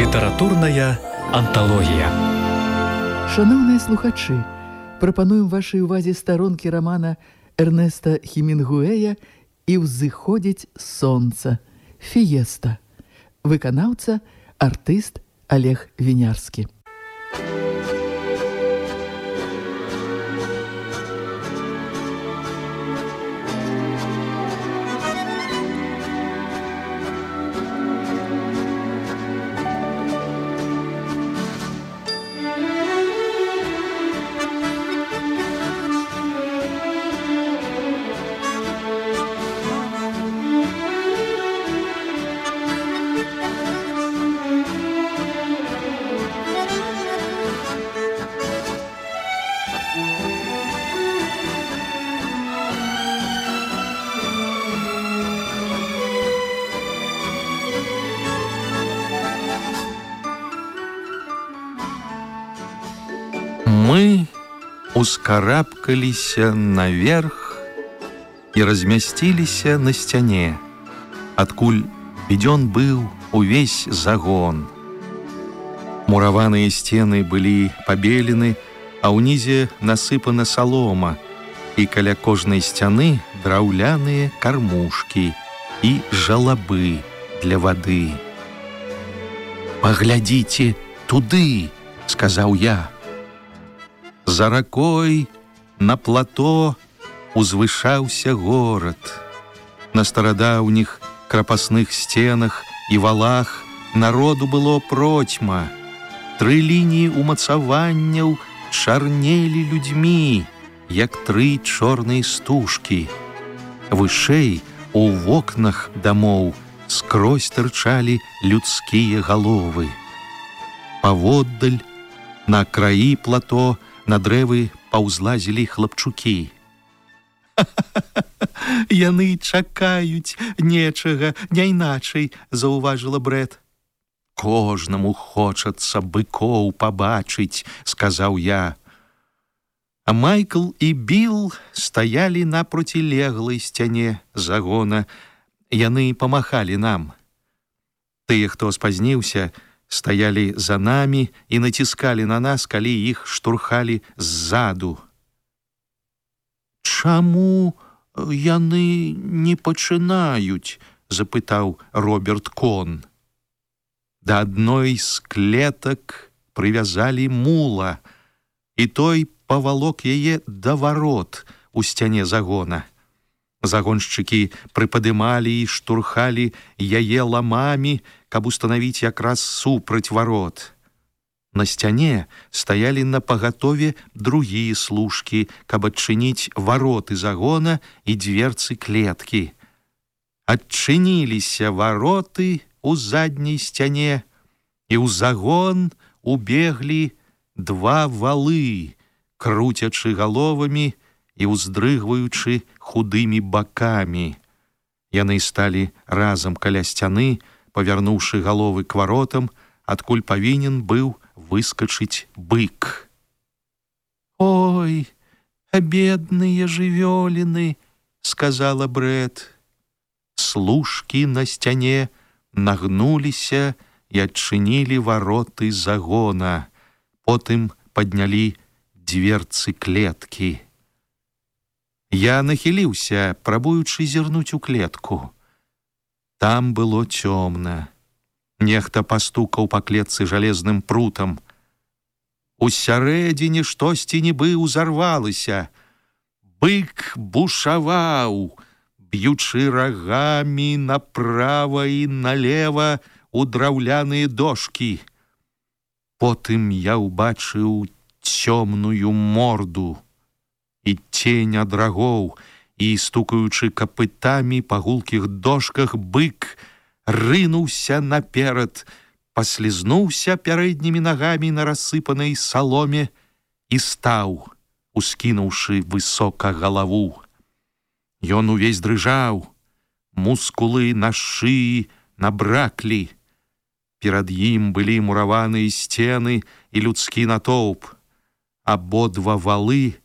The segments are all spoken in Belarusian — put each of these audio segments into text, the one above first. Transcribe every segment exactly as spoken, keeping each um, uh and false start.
Літаратурная анталогія. Шановныя слухачы, прапануем вашай увазе старонкі рамана Эрнеста Хемінгуэя «І ўзыходзіць сонца» «Фіеста». Выканаўца, артыст Олег Вінярскі. Мы ускарабкаліся наверх і размясціліся на сцяне, адкуль відзён быў увесь загон. Мураваныя сцены былі пабелены, а ўнізе насыпана салома, і каля кожнай сцяны драўляныя кармушкі і жалабы для вады. «Паглядзіце туды», — сказаў я. За ракой на плато узвышаўся горад. На старадаўніх крапасных сценах і валах народу было процьма. Тры лініі умацаванняў чарнелі людзьмі, як тры чорныя стужкі. Вышэй у вокнах дамоў скрозь тырчалі людскія галовы. Паводдаль, на краі плато, на дрэвы паўзлазілі хлапчукі. «Яны чакаюць нечага, не іначай», — заўважыла Брэт. «Кожнаму хочацца быкоў пабачыць», — сказаў я. А Майкл і Білл стаялі на процілеглай сцяне загона. Яны памахалі нам. Тыя, хто спазніўся, стаялі за намі і націскалі на нас, калі іх штурхалі ззаду. «Чаму яны не пачынаюць?» — запытаў Роберт Кон. Да адной з клетак прывязалі мула, і той павалок яе да варот у сцяне загона. Загоншчыкі прыпадымалі і штурхалі яе ламамі, каб устанавіць якраз супраць варот. На сцяне стаялі на пагатове другія служкі, каб адчыніць вароты загона і дзверцы клеткі. Адчыніліся вароты у задняй сцяне, і ў загон убеглі два валы, круцячы галовамі і ўздрыгваючы худымі бакамі. Яны сталі разам каля сцяны, павярнуўшы галовы к варотам, адкуль павінен быў выскачыць бык. «Ой, бедныя жывёліны», — сказала Брэт. Служкі на сцяне нагнуліся і адчынілі вароты загона. Потым паднялі дзверцы клеткі. Я нахіліўся, прабуючы зірнуць у клетку. Там было цёмна. Нехта пастукаў па клетцы жалезным прутам. Усярэдзіне штосьці нібы ўзарвалася. Бык бушаваў, б'ючы рагамі направа і налева у драўляныя дошкі. Потым я ўбачыў цёмную морду і цень ад рагоў, і, стукаючы капытамі па гулкіх дошках, бык рынуўся наперад, паслізнуўся пярэднімі нагамі на рассыпанай саломе і стаў, ускінуўшы высока галаву. Ён увесь дрыжаў, мускулы на шыі набраклі. Перад ім былі мураваныя сцены і людскі натоўп. Абодва валы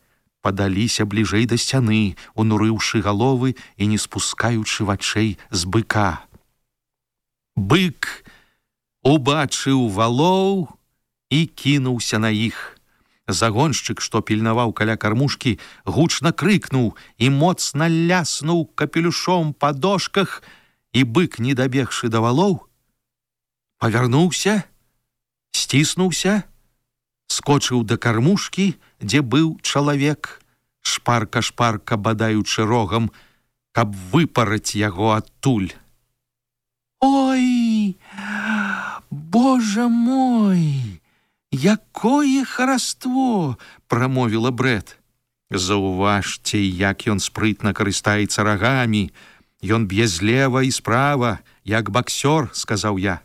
падаліся бліжэй да сцяны, унурыўшы галовы і не спускаючы вачэй з быка. Бык убачыў валоў і кінуўся на іх. Загоншчык, што пільнаваў каля кармушкі, гучна крыкнуў і моцна ляснуў капелюшом па дошках, і бык, не дабегшы да валоў, павярнуўся, сціснуўся, скочыў да кармушкі, дзе быў чалавек, шпарка-шпарка бадаючы рогам, каб выпараць яго адтуль. «Ой, Божа мой, якое хараство!» – прамовіла Брэт. «Заўважце, як ён спрытна карыстаецца рагамі. Ён б'е злева і справа, як баксёр», – сказаў я.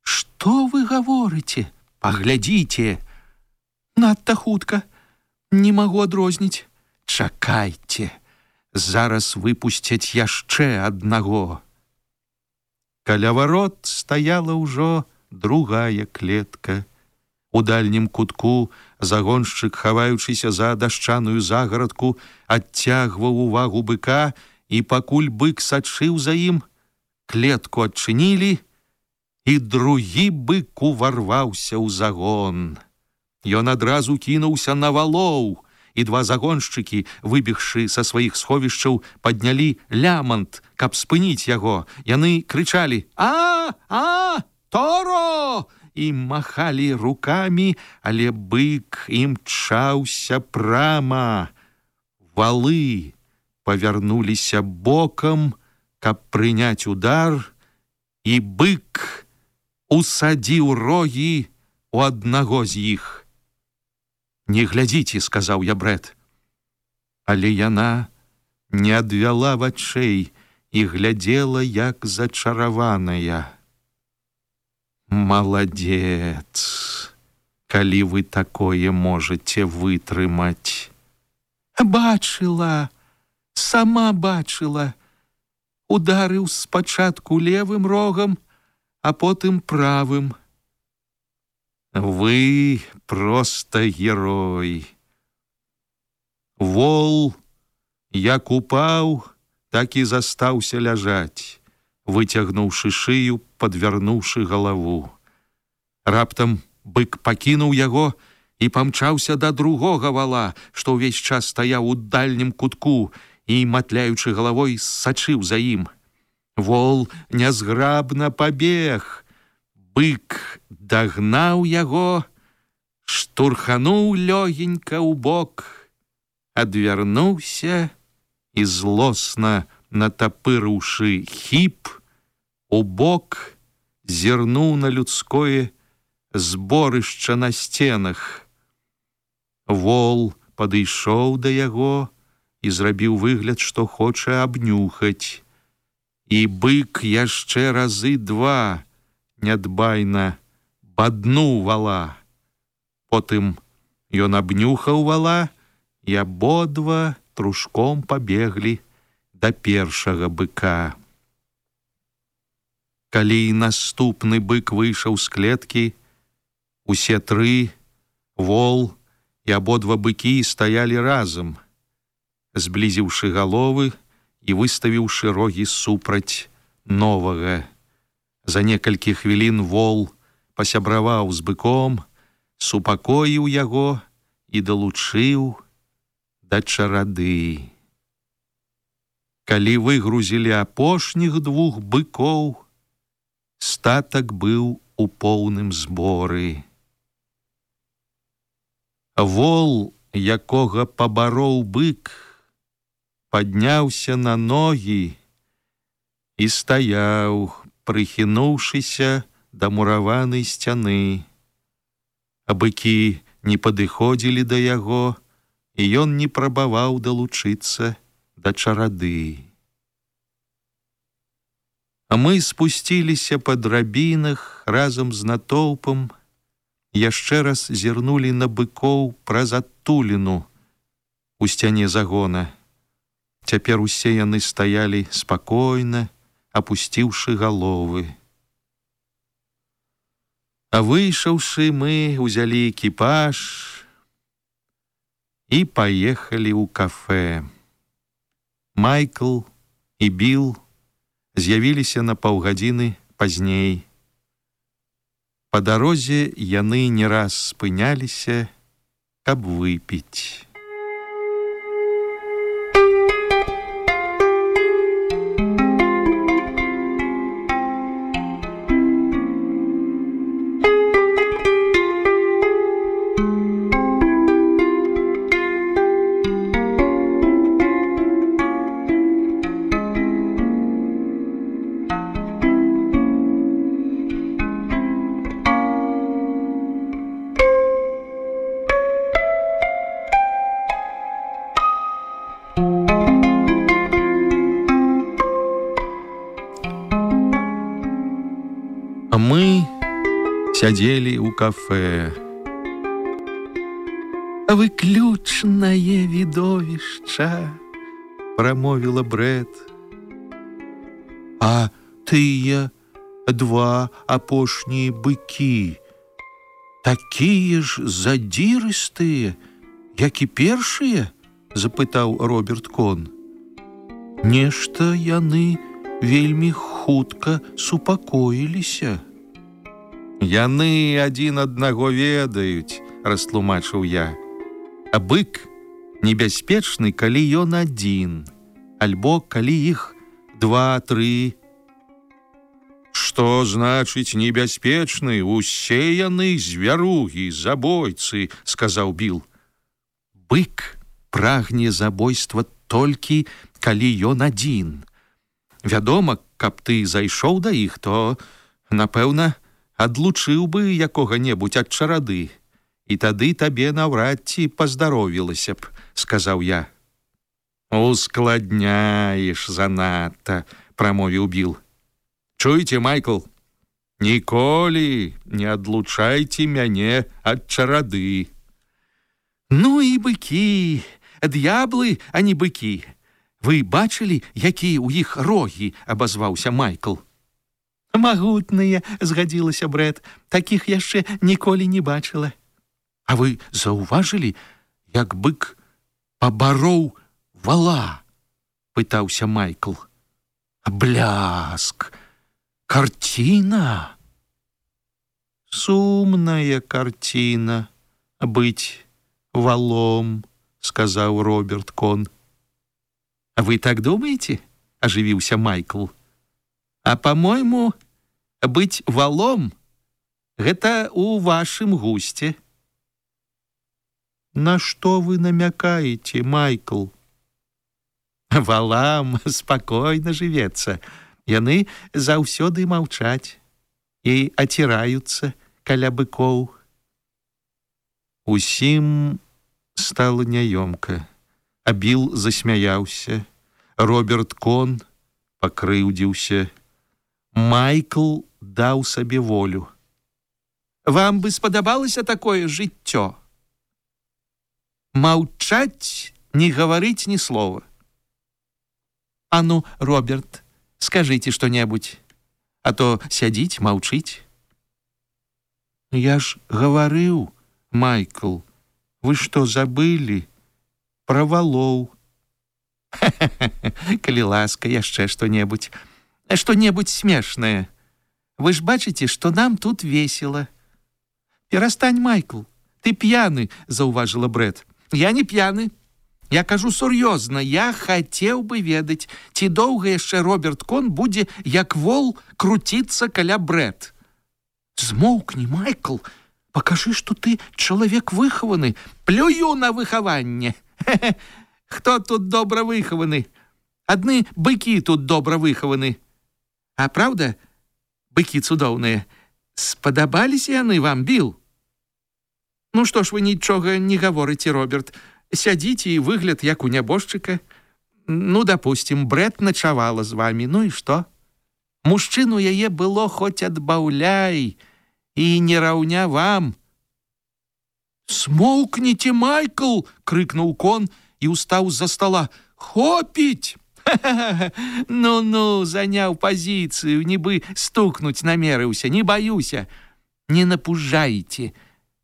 «Што вы гаворыце? Паглядзіце!» «Надта хутка, не магу адрозніць». «Чакайце, зараз выпусцяць яшчэ аднаго». Каля варот стаяла ўжо другая клетка. У дальнім кутку загоншчык, хаваючыся за дашчаную загарадку, адцягваў увагу быка, і пакуль бык сачыў за ім, клетку адчынілі, і другі бык уварваўся ў загон. Ён адразу кінуўся на валоў, і два загоншчыкі, выбегшы са сваіх сховішчаў, паднялі лямант, каб спыніць яго. Яны крычалі: «А, а, Торо!» і махалі рукамі, але бык імчаўся прама. Валы павярнуліся бокам, каб прыняць удар, і бык усадзіў рогі у аднаго з іх. «Не глядзіце», – сказаў я Брэт. Але яна не адвяла вачэй і глядзела, як зачараваная. «Маладзец, калі вы такое можаце вытрымаць». «Бачыла, сама бачыла. Ударыў спачатку левым рогам, а потым правым». «Вы проста герой». Вол, як упаў, так і застаўся ляжаць, выцягнуўшы шыю, падвярнуўшы галаву. Раптам бык пакінуў яго і памчаўся да другога вала, што ўвесь час стаяў у дальнім кутку і, матляючы галавой, сачыў за ім. Вол нязграбна пабег. Бык дагнаў яго, штурхануў лёгенька ў бок, адвярнуўся і, злосна натапырыўшы хіп, у бок зірнуў на людское зборышча на сценах. Вол падышоў да яго і зрабіў выгляд, што хоча абнюхаць. І бык яшчэ разы два нядбайна баднуў вала. Потым ён абнюхаў вала, і абодва трушком пабеглі да першага быка. Калі наступны бык выйшаў з клеткі, усе тры, вол і абодва быкі, стаялі разам, зблізіўшы галовы і выставіўшы рогі супраць новага. За некалькі хвілін вол пасябраваў з быком, супакоіў яго і далучыў да чарады. Калі выгрузілі апошніх двух быкоў, статак быў у поўным зборы. Вол, якога пабароў бык, падняўся на ногі і стаяў, прыхінуўшыся да мураванай сцяны. А быкі не падыходзілі да яго, і ён не прабаваў далучыцца да чарады. А мы спусціліся па драбінах разам з натоўпам, яшчэ раз зірнулі на быкоў праз адтуліну у сцяне загона. Цяпер усе яны стаялі спакойна, апусціўшы галовы. А выйшаўшы, мы ўзялі экіпаж і паехалі ў кафэ. Майкл і Біл з'явіліся на паўгадзіны пазней. Па дарозе яны не раз спыняліся, каб выпіць. А мы сядзелі ў кафэ. «Выключнае відовішча», прамовіла Брэт. «А тыя два апошнія быкі, такія ж задзірыстыя, як і першыя?» запытаў Роберт Кон. «Нешта яны вельмі хутка супакоіліся». «Яны адзін аднаго ведаюць», растлумачыў я. «А бык небяспечны, калі ён адзін, альбо калі іх два-тры». «Што значыць небяспечны? Усе яны звяругі, забойцы», сказаў Біл. «Бык прагне забойства толькі, калі ён адзін. Вядома, каб ты зайшоў да іх, то, напэўна, адлучыў бы якога-небудзь ад чарады, і тады табе наўрад ці паздаровілася б», сказаў я. «Ускладняеш занадта», прамовіў Біл. «Чуеце, Майкл, ніколі не адлучайце мяне ад чарады». «Ну і быкі, д'яблы, а не быкі. Вы бачылі, якія ў іх рогі?» абазваўся Майкл. «Магутныя», згадзілася Брэт, «такіх яшчэ ніколі не бачыла». «А вы заўважылі, як бык пабароў вала?» пытаўся Майкл. «Бляск! Карціна!» «Сумная карціна быць валом», сказаў Роберт Кон. «Вы так думаете?» ажывіўся Майкл. «А по-мойму, быць валом — гэта ў вашым гусце». «На што вы намякаеце, Майкл?» «Валам спакойна жывецца. Яны заўсёды маўчаць і аціраюцца каля быкоў». Усім стала няёмка, а Біл засмяяўся. Роберт Кон пакрыўдзіўся. Майкл даў сабе волю. «Вам бы спадабалася такое жыццё? Маўчаць, не гаварыць ні слова. А ну, Роберт, скажыце што-небудзь, а то сядзіць, маўчыць». «Я ж гаварыў, Майкл, вы што, забылі? Пра валоў». «Калі ласка, яшчэ што-небудзь. Што-небудзь смешнае. Вы ж бачыце, што нам тут весела». «Перастань, Майкл, ты п'яны», заўважыла Брэт. «Я не п'яны. Я кажу сур'ёзна, я хацеў бы ведаць, ці доўга яшчэ Роберт Кон будзе, як вол, круціцца каля Брэт». «Змоўкні, Майкл, пакажы, што ты чалавек выхаваны». «Плюю на выхаванне. Хто тут добра выхаваны? Адны быкі тут добра выхаваны. А праўда, быкі цудоўныя? Спадабаліся яны вам, Біл?» «Ну што ж вы нічога не гаворыце, Роберт? Сядзіце і выгляд, як у нябожчыка. Ну, дапусцім, Брэт начавала з вамі. Ну і што? Мужчыну яе было хоць адбаўляй, і не раўня вам». «Смоўкніце, Майкл!» — крыкнуў Кон і ўстаў з-за стала. «Хопіць! Ну-ну, заняў пазіцыю, нібы стукнуць намерыўся, не баюся. Не напужайце.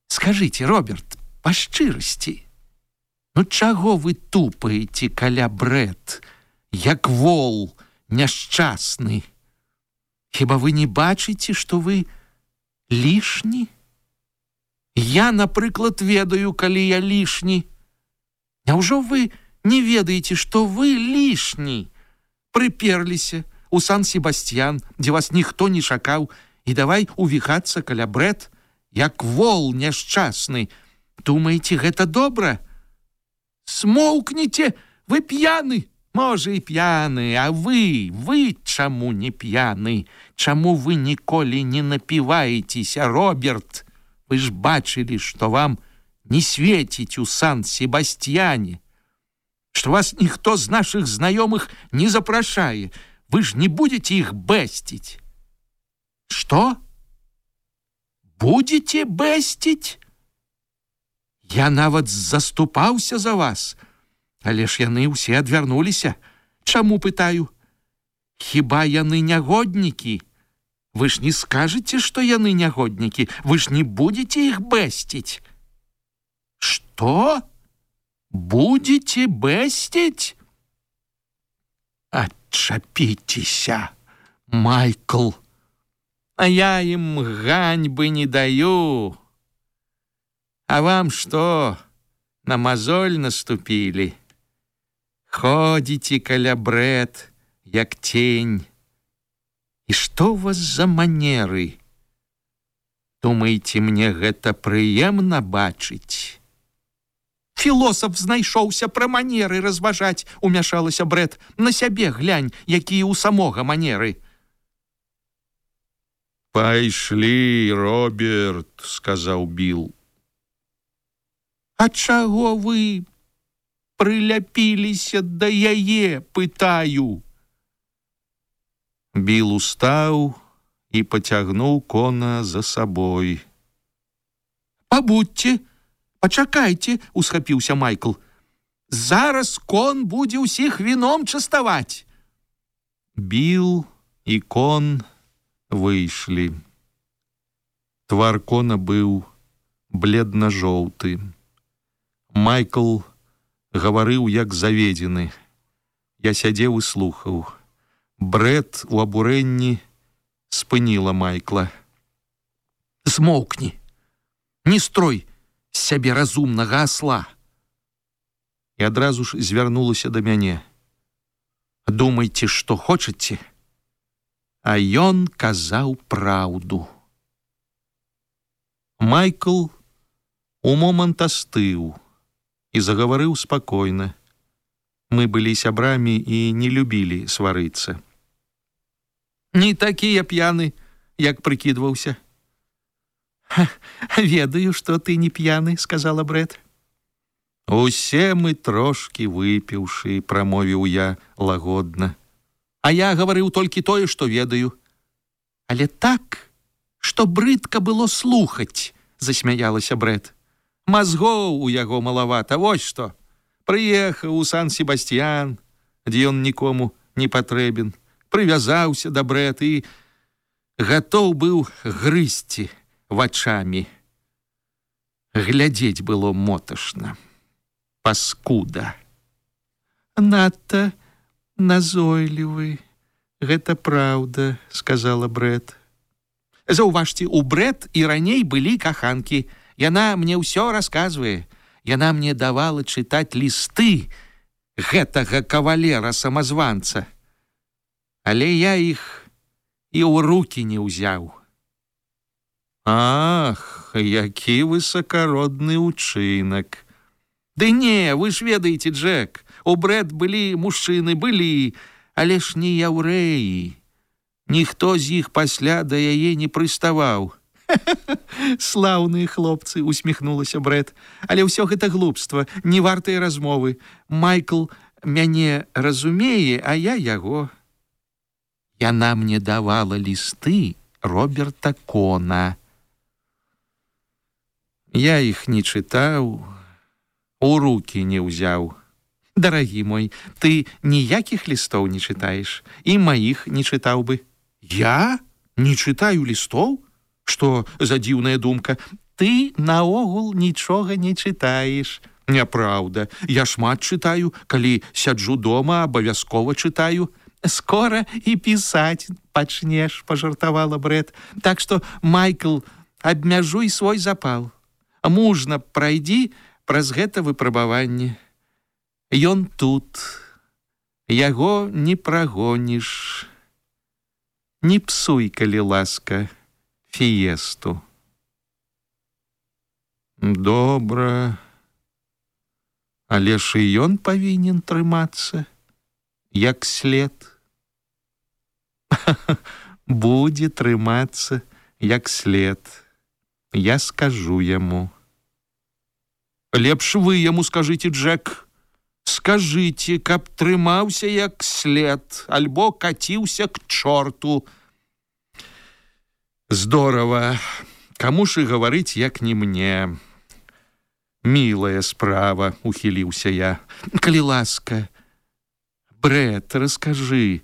Скажыце, Роберт, па шчырасці, ну чаго вы тупаеце каля Брэт, як вол няшчасны? Хіба вы не бачыце, што вы Лішні? Я, напрыклад, ведаю, калі я лішні. Няўжо вы не ведаеце, што вы лішні? Прыперліся у Сан-Себастьян, дзе вас ніхто не чакаў, і давай увіхацца каля Брэт, як вол няшчасны. Думаеце, гэта добра? Смоўкніце, вы п'яны. Можа, і п'яны, а вы, вы чаму не п'яны? Чаму вы ніколі не напіваецеся, Роберт? Вы ж бачылі, што вам не светіць у Сан-Себастьяне, што вас ніхто з нашых знаёмых не запрашае. Вы ж не будете іх бэсціць. Што? Будете бэсціць? Я нават заступаўся за вас, але ж яны ўсе адвярнуліся. Чаму, пытаю? Хіба яны нягоднікі? Вы ж не скажаце, што яны нягоднікі? Вы ж не будете іх бэсціць? Што? Будете бэсціць? Адчапіцеся, Майкл. А я ім ганьбы не даю. А вам што, на мазоль наступілі? Ходзіце каля Брэт, як тень. І што ў вас за манеры? Думаеце, мне гэта прыемна бачыць? Філосаф знайшоўся пра манеры разважаць, умяшалася Брэт. На сябе глянь, якія ў самога манеры. Пайшлі, Роберт, сказаў Біл. А чаго вы прыляпіліся да яе, пытаю? Біл устаў і пацягнуў кона за сабой. Пабудьце, пачакайце, усхапіўся Майкл. Зараз кон будзе ўсіх віном частаваць. Біл і кон выйшлі. Твар кона быў бледна-жоўты. Майкл гаварыў як заведзены. Я сядзеў і слухаў. Брэт у абурэнні спыніла Майкла. Змоўкні, не строй з сябе разумнага асла. І адразу ж звярнулася да мяне. Думайце, што хочаце. А ён казаў праўду. Майкл у момант астыў і загаварыў спакойна. Мы былі сябрамі і не любілі сварыцца. Не такі я п'яны, як прыкідваўся. Ведаю, што ты не п'яны, сказала Брэт. Усе мы трошкі выпіўшы, прамовіў я лагодна. А я гаварыў толькі тое, што ведаю. Але так, што брыдка было слухаць, засмяялася Брэт. Мазгоў у яго малавата, вось што. Прыехаў у Сан-Себастьян, дзе ён нікому не патрэбен, прывязаўся да Брэт і гатоў быў грызці вачамі. Глядзець было моташна. Паскуда. Надта назойлівы. Гэта праўда, сказала Брэт. Заўважце, у Брэт і раней былі каханкі. Яна мне ўсё расказвае. Яна мне давала чытаць лісты гэтага кавалера-самазванца. Але я іх і ў рукі не ўзяў. Ах, які высакародны ўчынак. Ды не, вы ж ведаеце, Джек, у Брэт былі мужчыны, былі, але ж не яўрэі. Ніхто з іх пасля да яе не прыставаў. Слаўныя хлопцы, усміхнулася Брэт. Але ўсё гэта глупства, не вартыя размовы. Майкл мяне разумее, а я яго. Яна мне давала лісты Роберта Кона. Я іх не чытаў, у рукі не ўзяў. Дарагі мой, ты ніякіх лістоў не чытаеш, і маіх не чытаў бы. Я не чытаю лістоў? Што за дзіўная думка? Ты наогул нічога не чытаеш. Няпраўда, я шмат чытаю, калі сяджу дома, абавязкова чытаю. Скора і пісаць пачнеш, пажартавала Брэт. Так што, Майкл, абмяжуй свой запал. Мужна прайдзі праз гэта выпрабаванне. Ён тут, яго не прагоніш. Не псуй, калі ласка, фіесту. Добра, але ж і ён павінен трымацца, як след. Будзе трымацца, як след. Я скажу яму. Лепш вы яму скажыце, Джек. Скажыце, каб трымаўся як след, альбо каціўся к чорту. Здорова. Каму ж і гаварыць, як не мне. Мілая справа, ухіліўся я. Калі ласка, Брэт, раскажы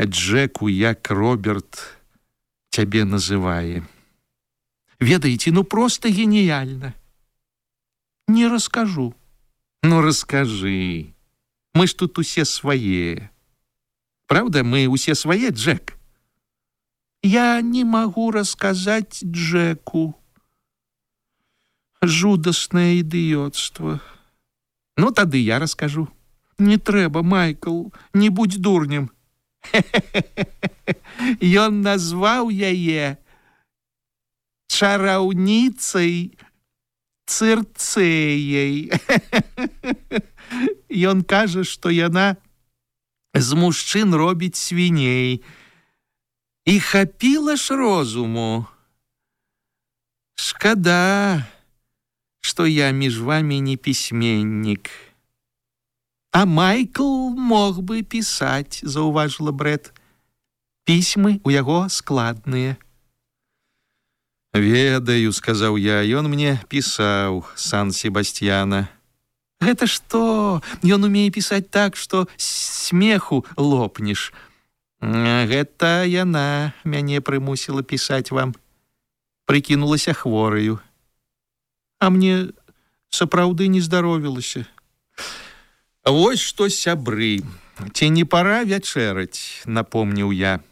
Джеку, як Роберт цябе называе. Ведаеце, ну просто гениально. Не раскажу. Ну, раскажи. Мы ж тут усе свае. Правда, мы усе свае, Джек? Я не могу рассказать Джеку. Жудаснае ідыёцтва. Ну, тады я раскажу. Не трэба, Майкл, не будь дурнем. Ён назваў яе чараўніцай Цырцэяй. Ён кажа, што яна з мужчын робіць свіней. І хапіла ж розуму. Шкада, што я між вамі не пісьменнік. А Майкл мог бы пісаць, заўважыла Брэт. Пісьмы ў яго складныя. Ведаю, сказаў я, ён мне пісаў Сан-Себастьяна. Гэта што? Ён умее пісаць так, што смеху лопнеш. Гэта яна мяне прымусіла пісаць вам. Прыкінулася хвораю. А мне сапраўды не здаровілася. Вось што, сябры, ці не пара вячэраць, напомніў я.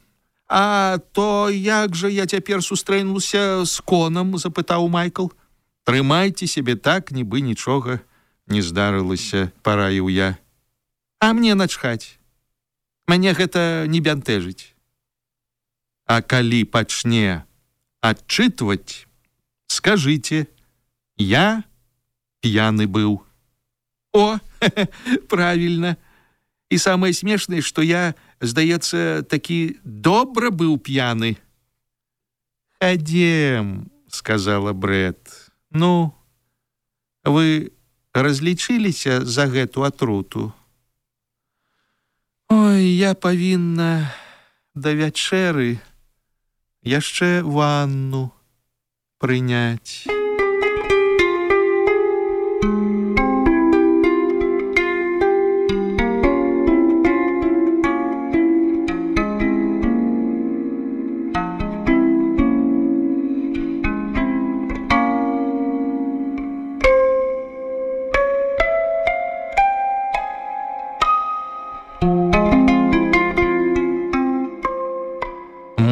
А то як жа я цяпер сустрэнуўся з конам, запытаў Майкл. Трымайце сябе так, нібы нічога не здарылася, параіў я. А мне начхаць. Мяне гэта не бянтэжыць. А калі пачне адчытваць, скажыце, я п'яны быў. О, правильно. І самае смешнае, што я, здаецца, такі добра быў п'яны. Хадзем, сказала Брэт. Ну, вы разлічыліся за гэту атруту? Ой, я павінна да вячэры яшчэ ванну прыняць.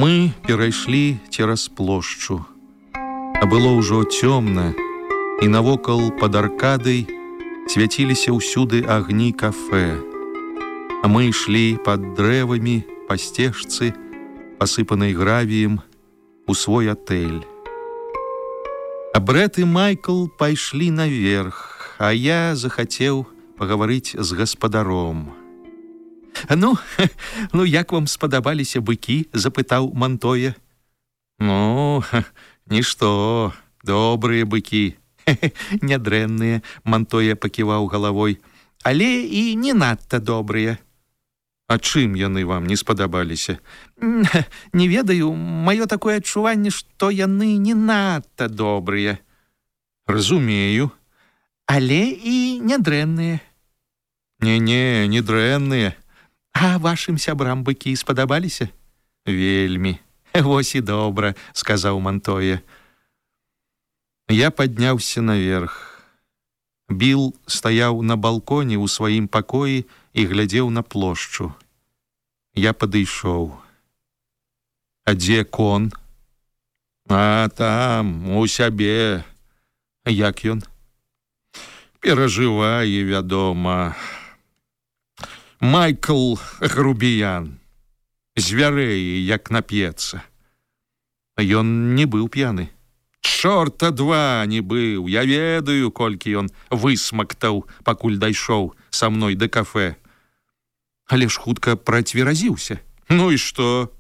Мы перайшлі цераз плошчу. А было ўжо цёмна, і навокал пад аркадай свяціліся ўсюды агні кафэ. А мы ішлі пад дрэвамі па сцежцы, пасыпанай гравіем, у свой атэль. А Брэт і Майкл пайшлі наверх, а я захацеў пагаварыць з гаспадаром. Ну, ну, як вам спадабаліся быкі? Запытаў Мантоя. Ну, нішто, добрыя быкі. Нядрэнныя, Мантоя паківаў галавой. Але і не надта добрыя. А чым яны вам не спадабаліся? Не ведаю, маё такое адчуванне, што яны не надта добрыя. Разумею. Але і нядрэнныя. Не-не, не дрэнныя. А вашым сябрам быкі спадабаліся? Вельмі. Вось і добра, сказаў Мантоя. Я падняўся наверх. Біл стаяў на балконе ў сваім пакоі і глядзеў на плошчу. Я падышоў. А дзе кон? А там, у сябе, як ён? Перажывае, вядома. Майкл грубіян, звярэе, як нап'ецца. Ён не быў п'яны. Чорта два не быў. Я ведаю, колькі ён высмактаў, пакуль дайшоў са мной да кафэ. Але ж хутка працверазіўся. Ну і што?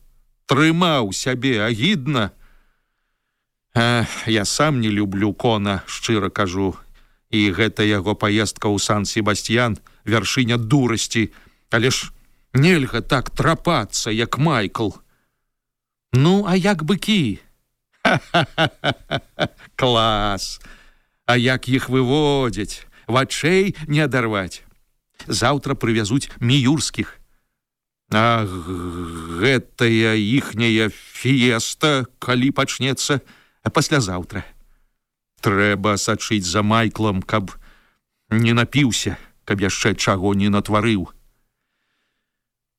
Трымаў сябе агідна. А, я сам не люблю Кона, шчыра кажу. І гэта яго паездка ў Сан-Себастьян, вяршыня дурасці. Але ж нельга так трапацца, як Майкл. Ну, а як быкі? Ха-ха-ха-ха! Клас! А як іх выводзяць? Вачэй не адарваць. Заўтра прывязуць міюрскіх. А гэтая іхняя фіеста, калі пачнецца, а паслязаўтра. Трэба сачыць за Майклом, каб не напіўся, каб яшчэ чаго не натварыў.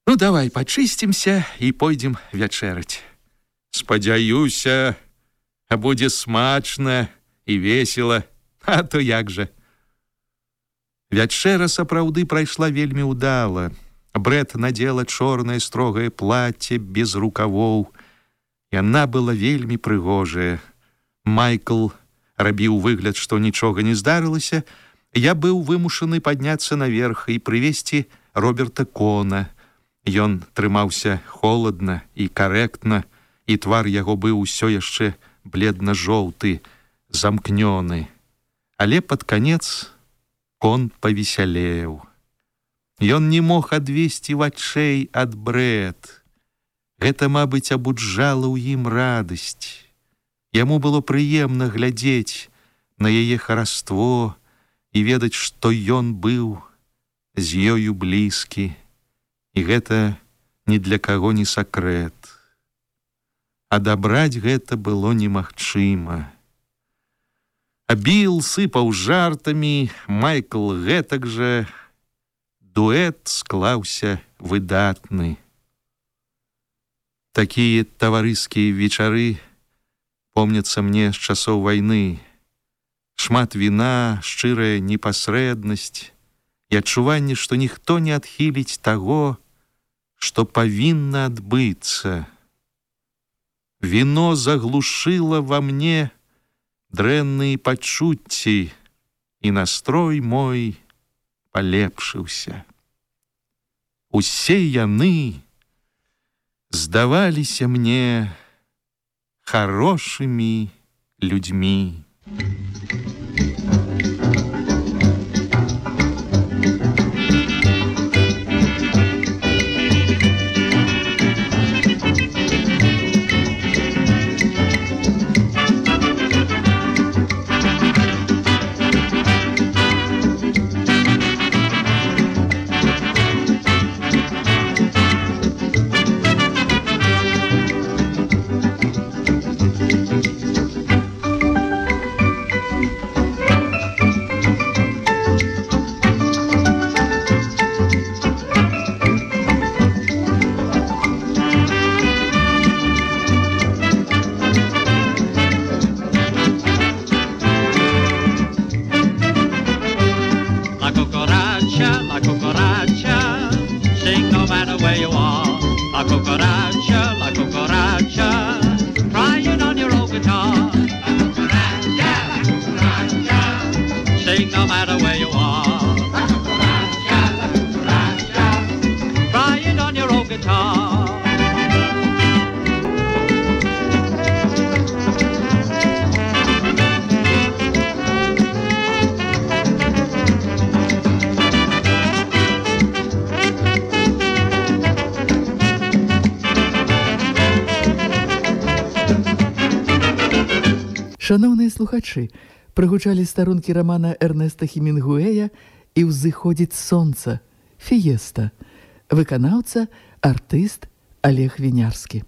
Ну, давай пачысцімся і пойдзем вячэраць. Спадзяюся, будзе смачна і весела, а то як жа. Вячэра сапраўды прайшла вельмі ўдала. Брэт надзела чорнае строгае плацце без рукавоў. Яна была вельмі прыгожая. Майкл рабіў выгляд, што нічога не здарылася. Я быў вымушаны падняцца наверх і прывесці Роберта Кона. Ён трымаўся холадна і карэктна, і твар яго быў усё яшчэ бледна-жоўты, замкнёны. Але пад канец Кон павесялеў. Ён не мог адвесці вачэй ад Брэт. Гэта, мабыць, абуджала ў ім радасць. Яму было прыемна глядзець на яе хараство і ведаць, што ён быў з ёю блізкі. І гэта ні для каго не сакрэт. Адабраць гэта было немагчыма. А Біл сыпаў жартамі, Майкл гэтак жа. Дуэт склаўся выдатны. Такія таварыскія вечары помняцца мне з часоў вайны. Шмат віна, шчырая непасрэднасць і адчуванне, што ніхто не адхіліць таго, што павінна адбыцца. Віно заглушыла ва мне дрэнныя пачуцці, і настрой мой палепшыўся. Усе яны здаваліся мне хорошымі людзьмі. Шановныя слухачы, прагучалі старонкі рамана Эрнеста Хемінгуэя «І ўзыходзіць сонца» «Фіеста». Выканаўца, артыст Олег Вінярскі.